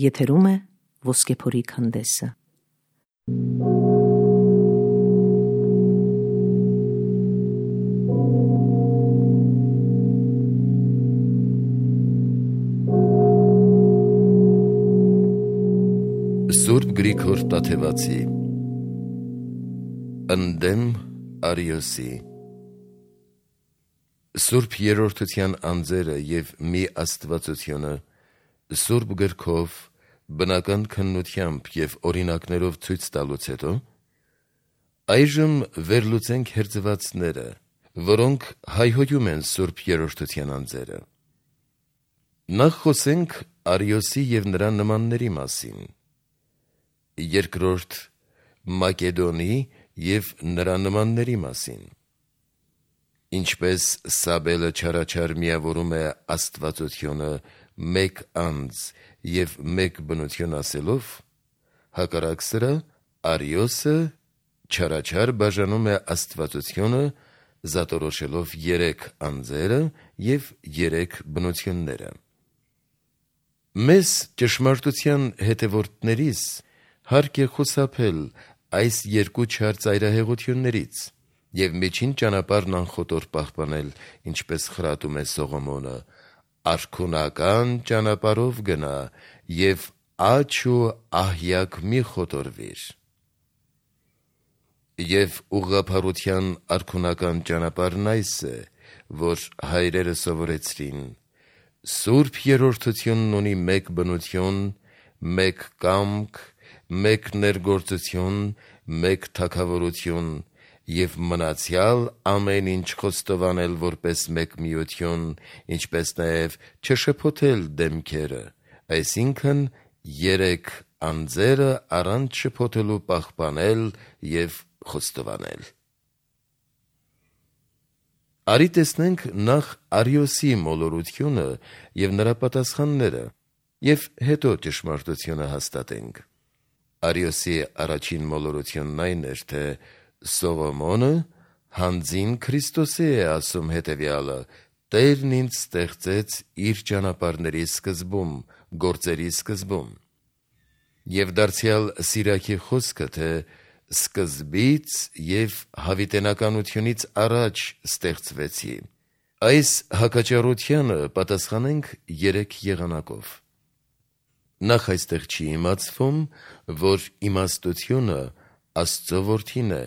Եթերում է Ոսկեփորի քանդեսը։ Սուրբ Գրիգոր Տաթևացի Ընդդեմ Արիոսի Սուրբ Երրորդության անձերը և մի աստվածությունը Սուրբ գրքով բնական քննությամբ և օրինակներով ցույց տալուց հետո այժմ վերլուծենք հերձվածները, որոնք հայհոյում են Սուրբ Երրորդության անձերը։ Նախ խոսենք Արիոսի և նրա նմանների մասին։ Երկրորդ Մակեդոնի և նրա նմանների մասին։ Ինչպես Սաբելը չարաչար միավորում է աստվածությունը մեկ անձ և մեկ բնություն ասելով, հակառակ սրա Արիոսը չարաչար բաժանում է աստվածությունը զատորոշելով երեք անձերը և երեք բնությունները։ Մեզ ճշմարտության հետևորդներիս հարկ է խուսափել այս երկու չար ծայրահեղություններից և միջին ճանապարհն անխոտոր պահպանել, ինչպես խրատում է Սողոմոնը. «Արքունական ճանապարհով գնա և աջ ու ահյակ մի խոտորվիր»։ Եվ ուղղափառության արքունական ճանապարհն այս է, որ հայրերը սովորեցրին. Սուրբ Երրորդությունն ունի մեկ բնություն, մեկ կամք, մեկ ներգործություն, մեկ թագավորություն և մնացյալ ամեն ինչ խոստովանել որպես մեկ միություն, ինչպես նաև չշփոթել դեմքերը, այսինքն երեք անձերը առանց շփոթելու պահպանել և խոստովանել։ Արի տեսնենք նախ Արիոսի մոլորությունը և նրա պատասխանները և հետո ճշմարտությունը հաստատենք։ Արիոսի առաջին մոլորությունն այն էր, թե Սողոմոնը հանձին Քրիստոսի է ասում հետևյալը. «Տերն ինձ ստեղծեց իր ճանապարհների սկզբում, գործերի սկզբում»։ Եվ դարձյալ Սիրակի խոսքը, թե սկզբից և հավիտենականությունից առաջ ստեղծվեցի, այս հակաճառությանը պատասխանենք երեք եղանակով։ Նախ այստեղ չի իմացվում, որ իմաստությունը Աստծո որդին է,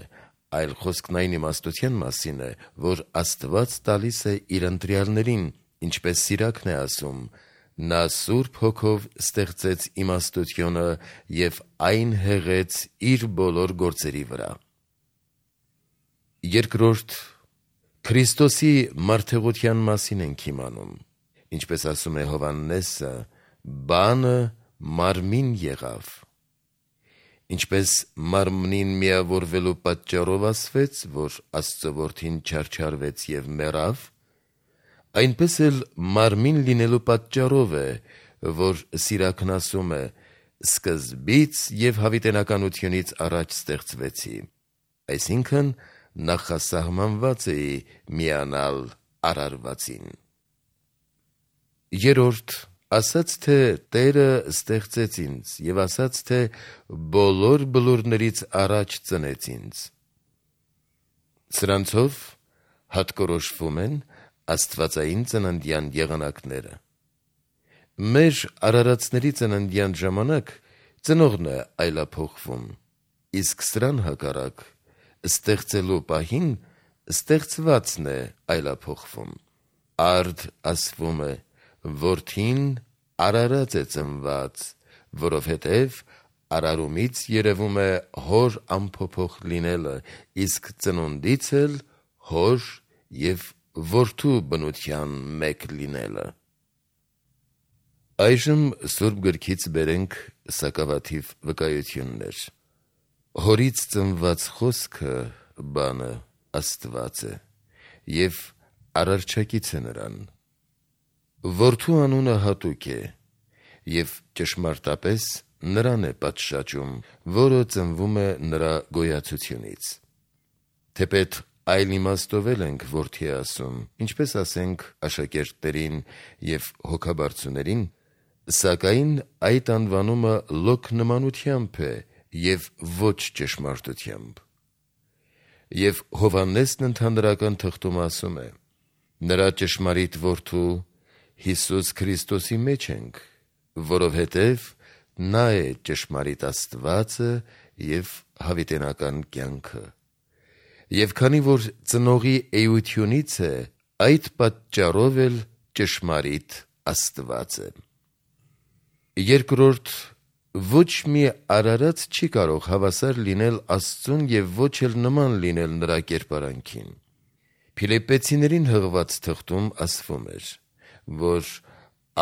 այլ խոսքն այն իմաստության մասին է, որ Աստված տալիս է իր ընտրյալներին, ինչպես Սիրակն է ասում. «Նա Սուրբ Հոգով ստեղծեց իմաստությունը և այն հեղեց իր բոլոր գործերի վրա»։ Երկրորդ Քրիստոսի մարդեղության մասին ենք իմանում, ինչպես ասում է Հովհաննեսը. «Բանը մարմին եղավ»։ Ինչպես մարմնին միավորվելու պատճառով ասվեց, որ Աստծո որդին չարչարվեց և մեռավ, այնպես էլ մարմին լինելու պատճառով է, որ Սիրակն ասում է. «Սկզբից և հավիտենականությունից առաջ ստեղծվեցի», այսինքն նախասահմանված էի միանալ արարվածին։ Երրորդ ասաց, թե Տերը ստեղծեց ինձ և ասաց, թե բոլոր բլուրներից առաջ ծնեց ինձ։ Սրանցով հատկորոշվում են աստվածային ծննդյան եղանակները։ Մեր արարածների ծննդյան ժամանակ ծնողն է այլափոխվում, իսկ սրան հակառակ ստեղծելու պահին ստեղծվածն է այլափոխվում։ Արդ ասվում է. «Որդին արարած է ծնված, որովհետև արարումից երևում է հոր անփոփոխ լինելը, իսկ ծնունդից էլ հոր և որդու բնության մեկ լինելը»։ Այժմ Սուրբ Գրքից բերենք սակավաթիվ վկայություններ։ Հորից ծնված խոսքը բանը Աստված է և արարչակից է նրան։ Որդու անունը հատուկ է և ճշմարտապես նրան է պատշաճում, որը ծնվում է նրա գոյացությունից։ Թեպետ այլ իմաստով էլ ենք որդի ասում, ինչպես ասենք աշակերտներին և հոգաբարձուներին, Սակայն այդ անվանումը լոկ նմանությամբ է և ոչ ճշմարտությամբ։ Եվ Հովհաննեսն ընդհանրական թղթում ասում է. նրա ճշմարիտ որդու Հիսուս Քրիստոսի մեջ ենք, որովհետև նա է ճշմարիտ Աստվածը և հավիտենական կյանքը։ Եվ քանի որ ծնողի էությունից է, այդ պատճառով էլ ճշմարիտ Աստված է։ Երկրորդ, ոչ մի արարած չի կարող հավասար լինել Աստծուն և ոչ էլ նման լինել նրա կերպարանքին։ Փիլիպպեցիներին հղված թղթում ասվում էր, որ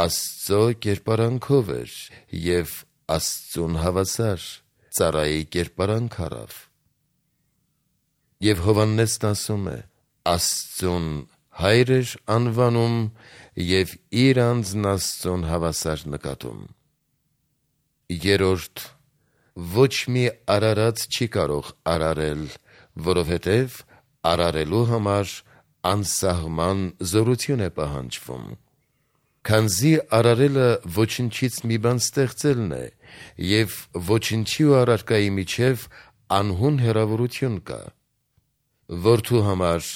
Աստծո կերպարանքով էր և Աստծուն հավասար, ծառայի կերպարանք առավ։ Եվ Հովհաննեսն ասում է. Աստծուն հայր էր անվանում և իր անձն Աստծուն հավասար նկատում։ Երորդ, ոչ մի արարած չի կարող արարել, որովհետև արարելու համար անսահման զորություն է պահանջվում։ Քանզի արարելը ոչնչից մի բան ստեղծելն է, և ոչնչի ու առարկայի միջև անհուն հեռավորություն կա։ Որդու համար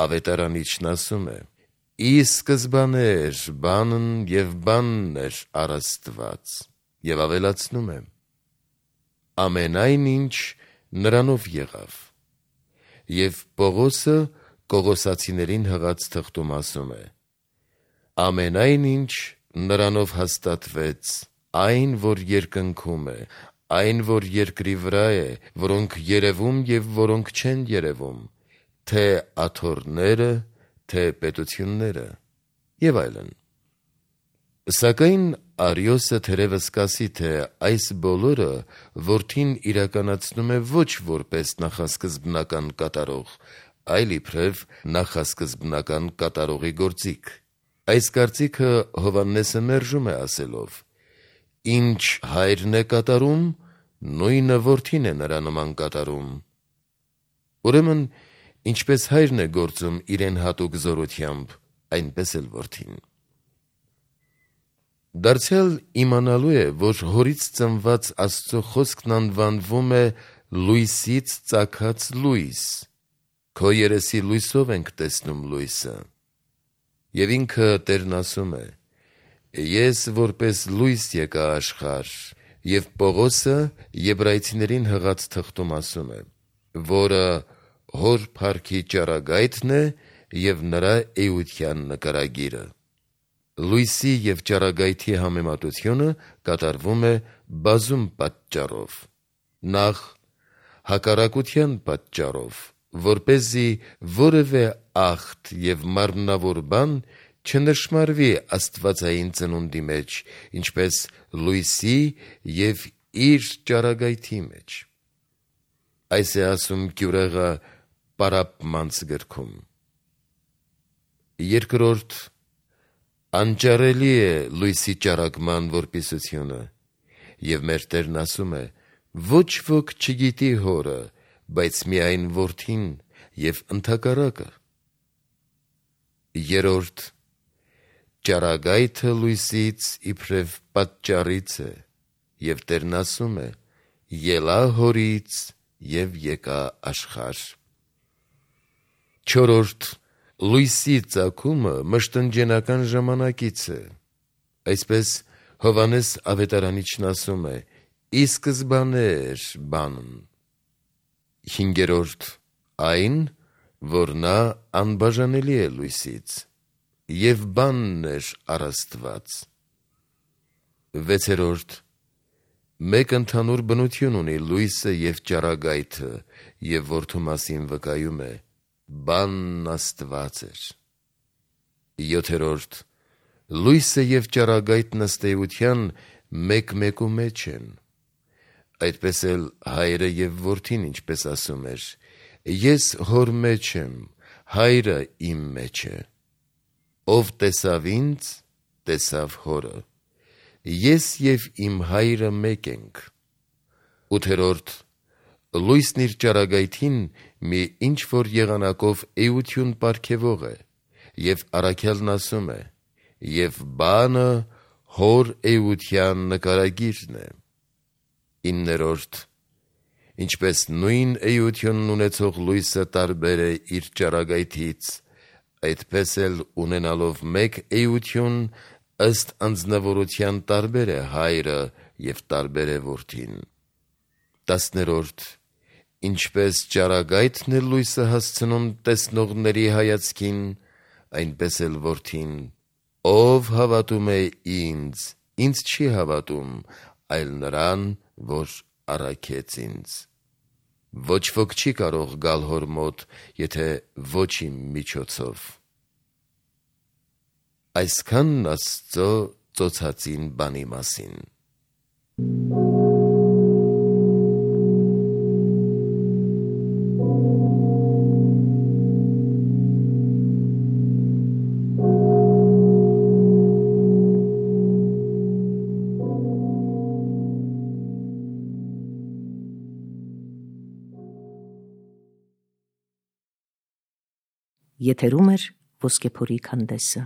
ավետարանիչն ասում է. ի սկզբանե էր բանն և բանն էր առ Աստված, և ավելացնում է. ամենայն ինչ նրանով եղավ։ Եվ Պողոսը Կողոսացիներին հղած թղթում ասում է. ամենայն ինչ նրանով հաստատվեց, այն, որ երկնքում է, այն, որ երկրի վրա է, որոնք երևում և որոնք չեն երևում, թե աթոռները, թե պետությունները, և այլն։ Սակայն Արիոսը թերևս կասի, թե այս բոլորը որդին իրականացնում է ոչ որպես նախասկզբնական կատարող, այլ իբրև նախասկզբնական կատարողի գործիք։ Այս կարծիքը Հովհաննեսը մերժում է ասելով. ինչ հայրն է կատարում, նույնը որդին է նրա նման կատարում։ Ուրեմն, ինչպես հայրն է գործում իրեն հատուկ զորությամբ, այնպես էլ որդին։ Դարձյալ իմանալու է, որ հորից ծնված Աստծո խոսքն անվանվում է լույսից ծագած լույս, քո երեսի լույսով ենք տեսնում լույսը։ Եվ ինքը Տերն ասում է. ես որպես լույս եկա աշխարհ, և Պողոսը Եբրայեցիներին հղած թղթում ասում է, որը հոր փառքի ճառագայթն է և նրա էության նկարագիրը։ Լույսի և ճառագայթի համեմատությունը կատարվում է բազում պատճառով։ Նախ, հակառակության պատճառով, որպեսզի որևէ ախտ և մարմնավոր բան չնշմարվի աստվածային ծնունդի մեջ, ինչպես լույսի և իր ճառագայթի մեջ։ Այս է ասում գյուրեղը Պարապմանց գրքում։ Երկրորդ, անճարելի է լույսի ճառագման որպիսությունը, և մեր Տերն ասում է. ոչ ոք չգիտի հորը, բայց միայն որդին և ընդհակառակը։ Երորդ, ճառագայթը լույսից իբրև պատճառից է, և Տերն ասում է. ելա հորից և եկա աշխարհ։ Չորրորդ, լույսի ծագումը մշտնջենական ժամանակից է։ Այսպես Հովհաննես ավետարանիչն ասում է. ի սկզբանե էր բանն։ Հինգերորդ, այն, որ նա անբաժանելի է լույսից, և բանն էր առ Աստված։ Վեցերորդ, մեկ ընդհանուր բնություն ունի լույսը և ճառագայթը, և որդու մասին վկայում է. բանն Աստված էր։ Յոթերորդ, լույսը և ճառագայթն ըստ էության մեկ-մեկու մեջ են։ Այդպես էլ հայրը և որդին, ինչպես ասում էր. ես հոր մեջ եմ, հայրը իմ մեջ է։ Ով տեսավ ինձ, տեսավ հորը։ Ես և իմ հայրը մեկ ենք։ Ութերորդ, լույսն իր ճառագայթին մի ինչ-որ եղանակով էություն պարգևող է, և առաքյալն ասում է. և բանը հոր էության նկարագիրն է։ 9. Ինչպես նույն էությունն ունեցող լույսը տարբեր է իր ճառագայթից, այդպես էլ ունենալով մեկ էություն, ըստ անձնավորության տարբեր է հայրը և տարբեր է որդին։ 10. Ինչպես ճառագայթն է լույսը հասցնում տեսնողների հայացքին, այնպես էլ որդին, ով հավատում է ինձ չի հավատում, այլ նրան, որ առաքեց ինձ։ Ոչ ոք չի կարող գալ հոր մոտ, եթե ոչ իմ միջոցով։ Այսքանն Աստծո ծոցածին բանի մասին։ Եթերում է Ոսկեփորի քանդեսը։